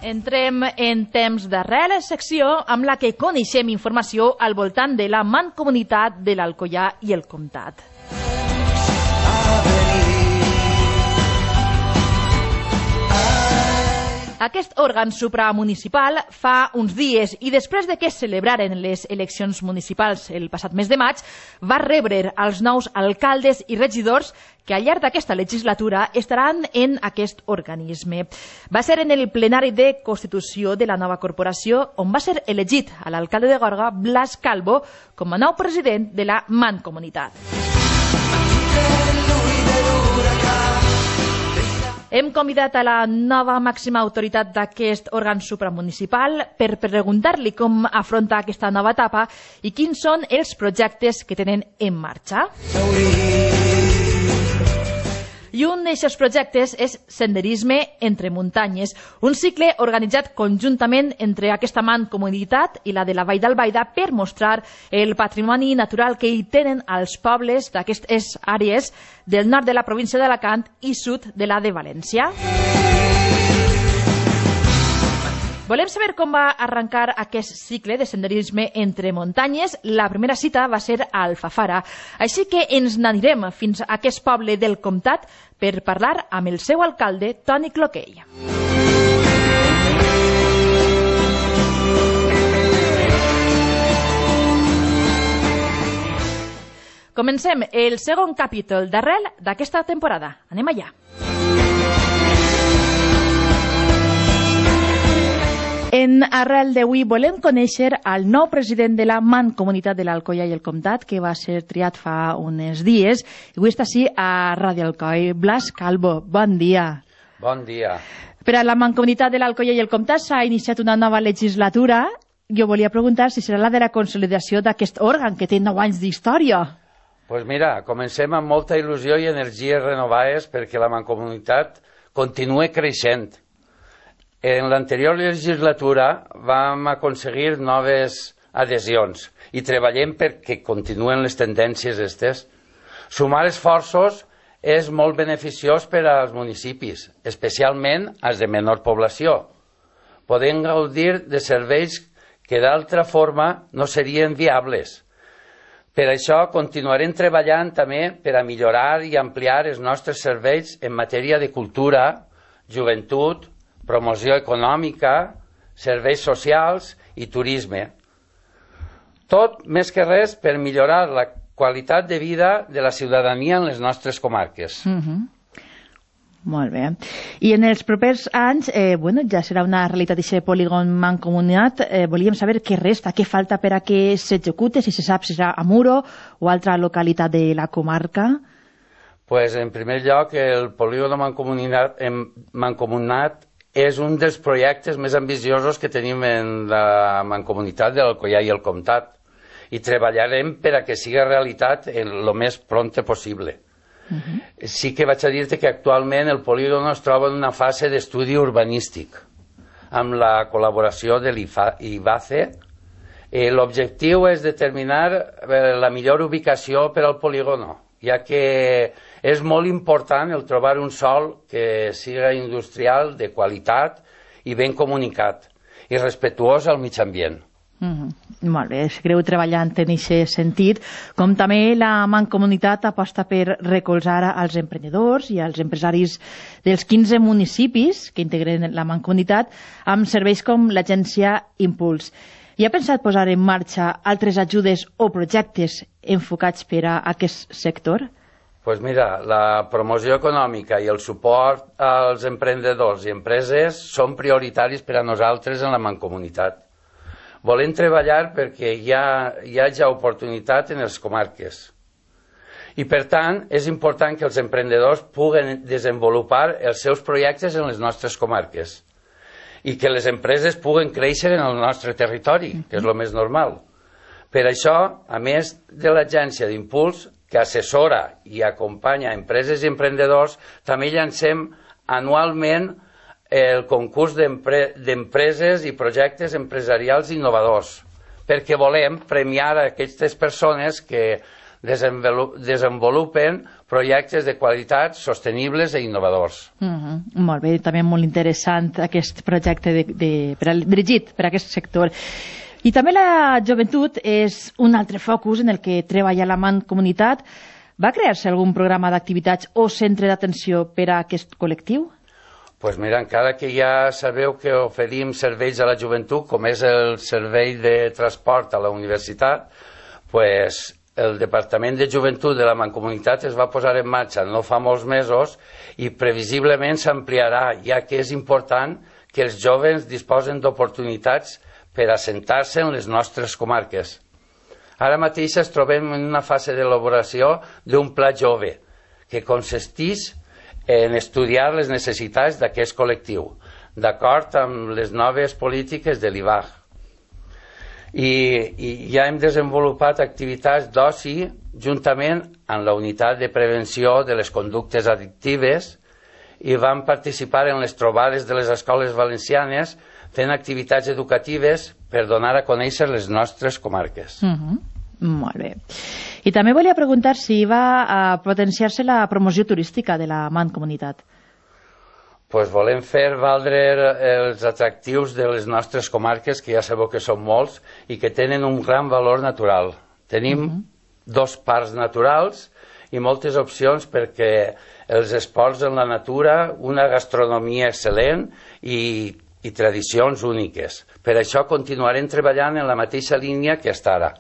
Entrem en temps d'arrel, secció amb la que coneixem informació al voltant de la Mancomunitat de l'Alcoià i el Comtat. Aquest òrgan supramunicipal fa uns dies i després de que es celebraren les eleccions municipals el passat mes de maig, va rebre els nous alcaldes i regidors que al llarg d'aquesta legislatura estaran en aquest organisme. Va ser en el plenari de Constitució de la nova corporació on va ser elegit a l'alcalde de Gorga, Blas Calvo, com a nou president de la Mancomunitat. Hem convidat a la nova màxima autoritat d'aquest òrgan supramunicipal per preguntar-li com afronta aquesta nova etapa i quins són els projectes que tenen en marxa. I un d'aquests projectes és Senderisme entre muntanyes, un cicle organitzat conjuntament entre aquesta mancomunitat i la de la Vall d'Albaida per mostrar el patrimoni natural que hi tenen els pobles d'aquestes àrees del nord de la província d'Alacant i sud de la de València. Volem saber com va arrencar aquest cicle de senderisme entre muntanyes. La primera cita va ser a Alfafara, així que ens n'anirem fins a aquest poble del comtat per parlar amb el seu alcalde, Toni Cloquell. Comencem el segon capítol d'Arrel d'aquesta temporada. Anem allà. En Arrel d'avui volem conèixer el nou president de la Mancomunitat de l'Alcoià i el Comtat, que va ser triat fa uns dies. I avui està així a Ràdio Alcoi. Blas Calvo, bon dia. Bon dia. Per a la Mancomunitat de l'Alcoià i el Comtat s'ha iniciat una nova legislatura. Jo volia preguntar si serà la de la consolidació d'aquest òrgan, que té 9 anys d'història. Doncs mira, comencem amb molta il·lusió i energies renovades perquè la Mancomunitat continua creixent. En l'anterior legislatura vam aconseguir noves adhesions i treballem perquè continuen les tendències aquestes. Sumar esforços és molt beneficiós per als municipis, especialment als de menor població. Podem gaudir de serveis que d'altra forma no serien viables. Per això continuarem treballant també per a millorar i ampliar els nostres serveis en matèria de cultura, joventut, promoció econòmica, serveis socials i turisme. Tot, més que res, per millorar la qualitat de vida de la ciutadania en les nostres comarques. Molt bé. I en els propers anys, ja serà una realitat d'aquest polígon mancomunat. Volíem saber què resta, què falta per a que s'execute, si se sap si serà a Muro o altra localitat de la comarca. Pues, en primer lloc, el polígon mancomunat és un dels projectes més ambiciosos que tenim en la Mancomunitat de l'Alcoià i el Comtat i treballarem per a que sigui realitat el més prompte possible. Sí que vaig a dir-te que actualment el polígon es troba en una fase d'estudi urbanístic amb la col·laboració de l'IBACE. L'objectiu és determinar la millor ubicació per al polígon, ja que és molt important el trobar un sòl que siga industrial, de qualitat i ben comunicat i respectuós al mig ambient. Molt bé, seguireu treballant en aquest sentit, com també la Mancomunitat aposta per recolzar als emprenedors i als empresaris dels 15 municipis que integren la Mancomunitat amb serveis com l'agència Impuls. I ha pensat posar en marxa altres ajudes o projectes enfocats per a aquest sector? Doncs mira, la promoció econòmica i el suport als emprenedors i empreses són prioritaris per a nosaltres en la Mancomunitat. Volem treballar perquè hi hagi oportunitat en les comarques. I per tant, és important que els emprenedors puguen desenvolupar els seus projectes en les nostres comarques i que les empreses puguen créixer en el nostre territori, que és el més normal. Per això, a més de l'agència d'Impuls, que assessora i acompanya empreses i emprenedors, també llancem anualment el concurs d'empreses i projectes empresarials innovadors, perquè volem premiar a aquestes persones que desenvolupen projectes de qualitat sostenibles i innovadors. Molt bé, també molt interessant aquest projecte dirigit per a aquest sector. I també la joventut és un altre focus en el que treballa la Mancomunitat. Va crear-se algun programa d'activitats o centre d'atenció per a aquest col·lectiu? Doncs mira, encara que ja sabeu que oferim serveis a la joventut, com és el servei de transport a la universitat, doncs el Departament de Joventut de la Mancomunitat es va posar en marxa no fa molts mesos i previsiblement s'ampliarà, ja que és important que els joves disposen d'oportunitats per assentar-se en les nostres comarques. Ara mateix ens trobem en una fase d'elaboració d'un pla jove que consisteix en estudiar les necessitats d'aquest col·lectiu, d'acord amb les noves polítiques de l'IVAG. I ja hem desenvolupat activitats d'oci juntament amb la unitat de prevenció de les conductes addictives i vam participar en les trobades de les escoles valencianes fent activitats educatives per donar a conèixer les nostres comarques. Molt bé. I també volia preguntar si va a potenciar-se la promoció turística de la Mancomunitat. Doncs volem fer valdre els atractius de les nostres comarques, que ja sabeu que són molts, i que tenen un gran valor natural. Tenim 2 parcs naturals i moltes opcions perquè els esports en la natura, una gastronomia excel·lent i tradicions úniques. Per això continuarem treballant en la mateixa línia que fins ara.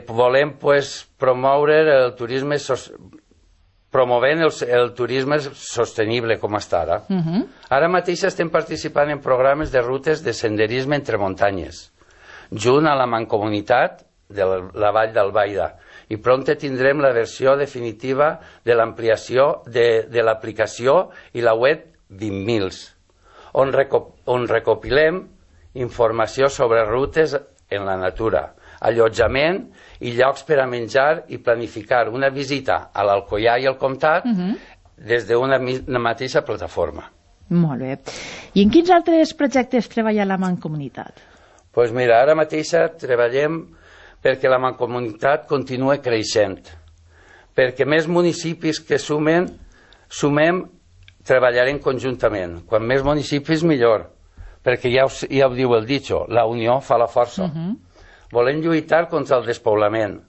Volem promoure el turisme promovent el turisme sostenible com està ara. Ara mateix estem participant en programes de rutes de senderisme entre muntanyes, junt a la Mancomunitat de la Vall d'Albaida, i prompte tindrem la versió definitiva de l'ampliació de l'aplicació i la web 20.000, on recopilem informació sobre rutes en la natura, allotjament i llocs per a menjar i planificar una visita a l'Alcoià i al Comtat des d'una mateixa plataforma. Molt bé. I en quins altres projectes treballa la Mancomunitat? Doncs mira, ara mateix treballem perquè la Mancomunitat continua creixent, perquè més municipis que sumem, treballarem conjuntament. Quan més municipis, millor, perquè ja ho diu el dicho, la unió fa la força. Volem lluitar contra el despoblament,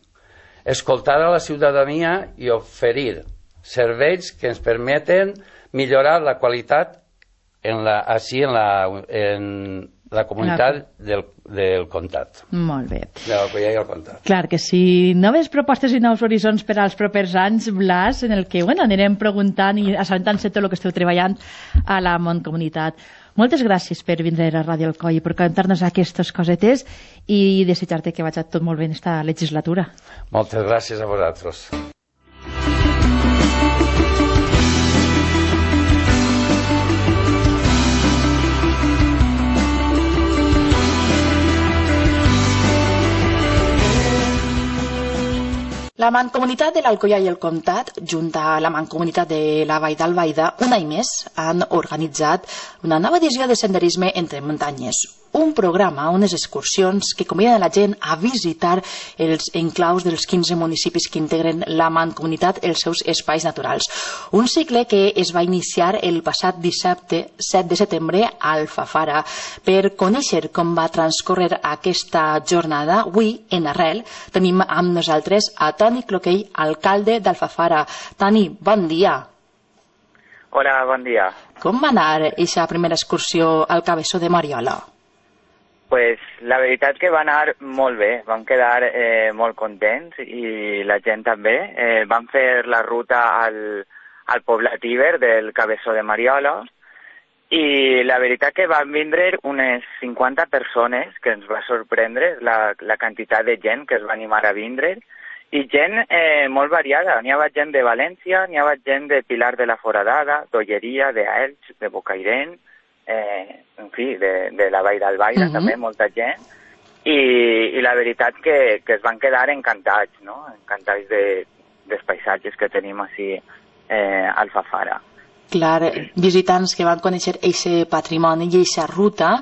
escoltar a la ciutadania i oferir serveis que ens permeten millorar la qualitat en la comunitat del Comtat. Molt bé. De l'Alcoià i el Comtat. Clar que sí. Noves propostes i nous horitzons per als propers anys, Blas, en el que anirem preguntant i assabentant-se tot el que esteu treballant a la Mancomunitat. Moltes gràcies per vindre a Ràdio Alcoi i per contar-nos aquestes cosetes i desitjar-te que vagi tot molt bé en esta legislatura. Moltes gràcies a vosaltres. La Mancomunitat de l'Alcoià i el Comtat, junt a la Mancomunitat de la Vall d'Albaida, un any més han organitzat una nova edició de senderisme entre muntanyes. Un programa, unes excursions que conviden a la gent a visitar els enclaus dels 15 municipis que integren la Mancomunitat, els seus espais naturals. Un cicle que es va iniciar el passat dissabte 7 de setembre a Alfafara. Per conèixer com va transcórrer aquesta jornada, avui, en Arrel, tenim amb nosaltres a Toni Cloquell, alcalde d'Alfafara. Toni, bon dia. Hola, bon dia. Com va anar aquesta primera excursió al Cabeçó de Mariola? Pues la veritat que va anar molt bé, vam quedar molt contents i la gent també. Vam fer la ruta al poblat Iber del Cabeçó de Mariola i la veritat que van vindre unes 50 persones, que ens va sorprendre la quantitat de gent que es va animar a vindre, i gent molt variada. N'hi havia gent de València, n'hi havia gent de Pilar de la Foradada, d'Olleria, d'Elx, de Bocairent, en fi, de la Vall d'Albaida també, molta gent, i la veritat que es van quedar encantats, no? Encantats dels paisatges que tenim així a Alfafara. Clar, visitants que van conèixer aquest patrimoni i aquesta ruta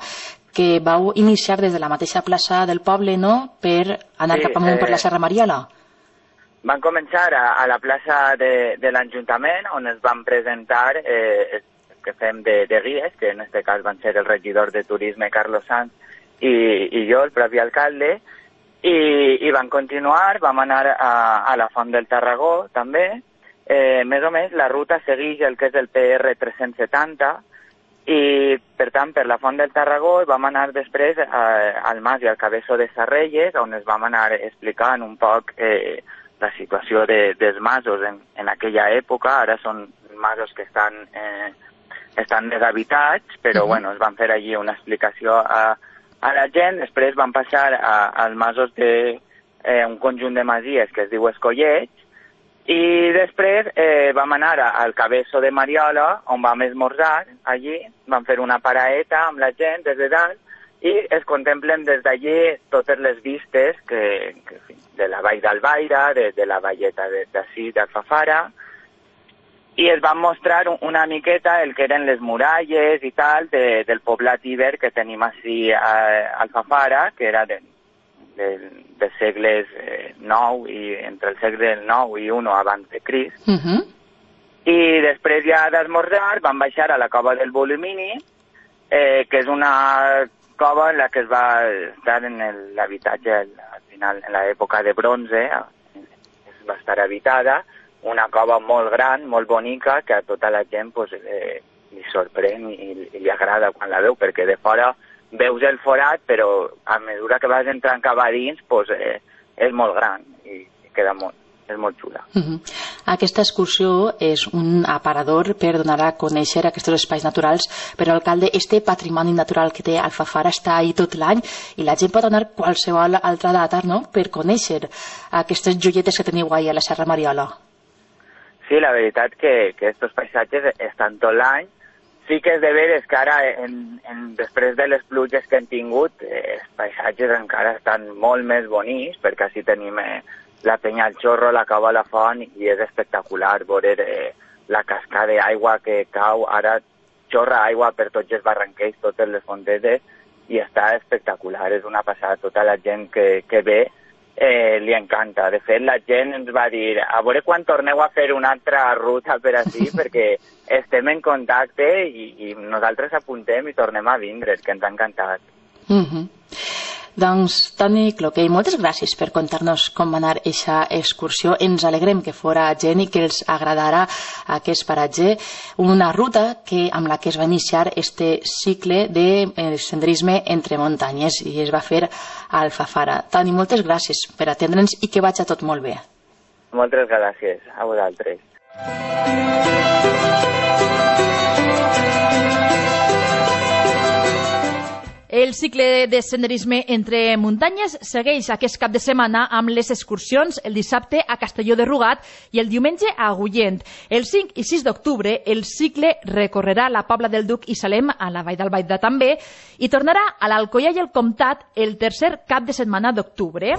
que vau iniciar des de la mateixa plaça del poble, no?, per anar cap amunt per la Serra Mariola. van començar a la plaça de l'Ajuntament, on es van presentar que fem de guies, que en aquest cas van ser el regidor de Turisme, Carlos Sanz, i jo, el propi alcalde, i van continuar, vam anar a la Font del Tarragó, també. Més o menys, la ruta segueix el que és el PR 370, i, per tant, per la Font del Tarragó vam anar després al Mas i al Cabeço de Sarrelles, on es vam anar explicant un poc la situació dels masos en aquella època. Ara són masos que estan deshabitats, però bueno, es van fer allí una explicació a la gent. Després van passar als masos d'un conjunt de masies que es diu Escolleig, i després vam anar al Cabeço de Mariola, on vam esmorzar allí, vam fer una paraeta amb la gent des de dalt, i es contemplen des d'allí totes les vistes de la Vall d'Albaida, de la valleta d'ací, d'Alfafara, i es van mostrar una miqueta el que eren les muralles i tal del poblat iber que tenim ací a Alfafara, que era dels segles IX i entre el segle IX i I abans de Crist. I després ja d'esmorzar vam baixar a la cova del Volumini, que és una cova en la que es va estar en l'habitatge al final, en l'època de bronze, va estar habitada, una cova molt gran, molt bonica, que a tota la gent li sorprèn i li agrada quan la veu, perquè de fora veus el forat, però a mesura que vas entrant cap a dins és molt gran i queda és molt xula. Aquesta excursió és un aparador per donar a conèixer aquests espais naturals, però, alcalde, este patrimoni natural que té Alfafara està ahí tot l'any i la gent pot anar qualsevol altra data, no?, per conèixer aquestes joietes que teniu ahí a la Serra Mariola. Sí, la veritat que aquests paisatges estan tot l'any. Sí que és de veres que ara, després de les pluges que hem tingut, els paisatges encara estan molt més bonics, perquè així tenim la Penya al Xorro, la cova a la Font, i és espectacular veure la cascada d'aigua que cau. Ara xorra aigua per tots els barranquers, totes les fontetes, i està espectacular. És una passada. Tota la gent que ve li encanta. De fet, la gent ens va dir a veure quan torneu a fer una altra ruta per així, perquè estem en contacte i nosaltres apuntem i tornem a vindre, que ens ha encantat. Doncs, Toni Cloquer, moltes gràcies per contar-nos com va anar aquesta excursió. Ens alegrem que fora gent i que els agradara aquest paratge, una ruta amb la que es va iniciar este cicle de senderisme entre muntanyes i es va fer a Alfafara. Toni, moltes gràcies per atendre'ns i que vagi tot molt bé. Moltes gràcies a vosaltres. El cicle de senderisme entre muntanyes segueix aquest cap de setmana amb les excursions el dissabte a Castelló de Rugat i el diumenge a Agullent. El 5 i 6 d'octubre el cicle recorrerà la Pobla del Duc i Salem, a la Vall d'Albaida també, i tornarà a l'Alcoià i el Comtat el tercer cap de setmana d'octubre.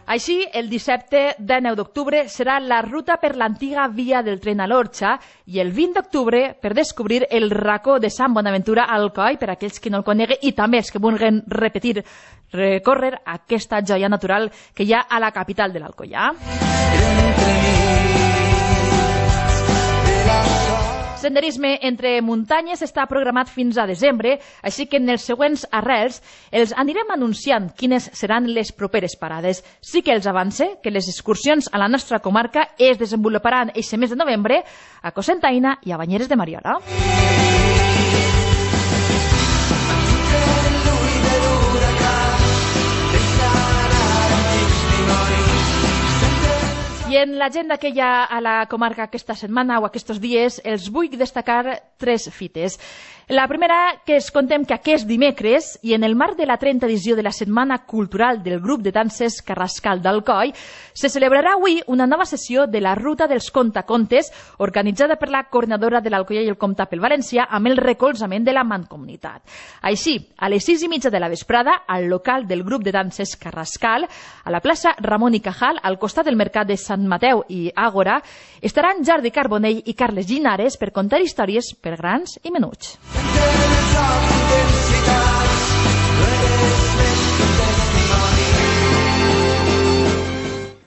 Així, el dissabte 19 d'octubre serà la ruta per l'antiga via del tren a l'Orxa i el 20 d'octubre per descobrir el racó de Sant Bonaventura a Alcoi, per aquells que no el coneguen i també els que vulguin recórrer aquesta joia natural que hi ha a la capital de l'Alcoià. Senderisme entre muntanyes està programat fins a desembre, així que en els següents arrels els anirem anunciant quines seran les properes parades. Sí que els avance que les excursions a la nostra comarca es desenvoluparan aquest mes de novembre a Cocentaina i a Banyeres de Mariola. I en l'agenda que hi ha a la comarca aquesta setmana o aquests dies els vull destacar 3 fites. La primera, que es contem que aquest dimecres, i en el marc de la 30 edició de la Setmana Cultural del grup de danses Carrascal d'Alcoi, se celebrarà avui una nova sessió de la Ruta dels Contacontes, organitzada per la coordinadora de l'Alcoià i el Comtat pel Valencià, amb el recolzament de la Mancomunitat. Així, a les 6:30 de la vesprada, al local del grup de danses Carrascal, a la plaça Ramon i Cajal, al costat del mercat de Sant Mateu i Àgora, estaran Jordi Carbonell i Carles Llinares per contar històries per grans i menuts.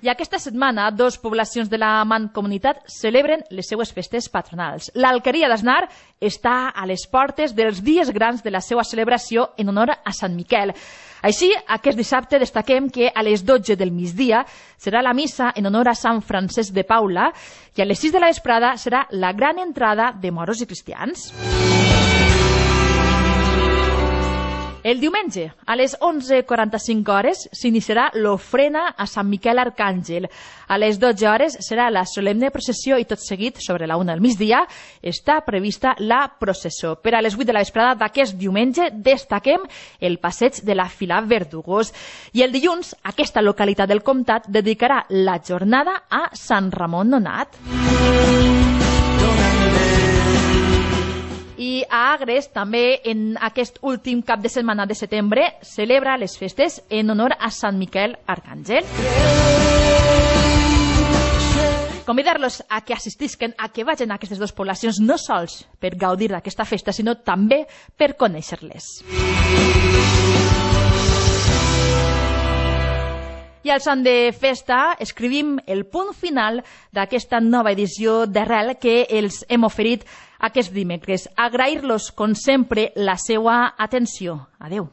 I aquesta setmana, dos poblacions de la Mancomunitat celebren les seues festes patronals. L'Alqueria d'Asnar està a les portes dels dies grans de la seva celebració en honor a Sant Miquel. Així, aquest dissabte destaquem que a les 12 del migdia serà la missa en honor a Sant Francesc de Paula i a les 6 de la vesprada serà la gran entrada de moros i cristians. El diumenge, a les 11:45 hores, s'iniciarà l'ofrena a Sant Miquel Arcàngel. A les 12 hores serà la solemne processió i tot seguit, sobre la 1 del migdia, està prevista la processó. Per a les 8 de la vesprada d'aquest diumenge destaquem el passeig de la Fila Verdugós. I el dilluns, aquesta localitat del comtat dedicarà la jornada a Sant Ramon Nonat. I a Agres, també en aquest últim cap de setmana de setembre, celebra les festes en honor a Sant Miquel Arcàngel. Convidar-los a que assistisquen, a que vagin a aquestes dues poblacions, no sols per gaudir d'aquesta festa, sinó també per conèixer-les. I al son de festa escrivim el punt final d'aquesta nova edició d'Arrel que els hem oferit aquest dimecres. Agrair-los, com sempre, la seva atenció. Adeu.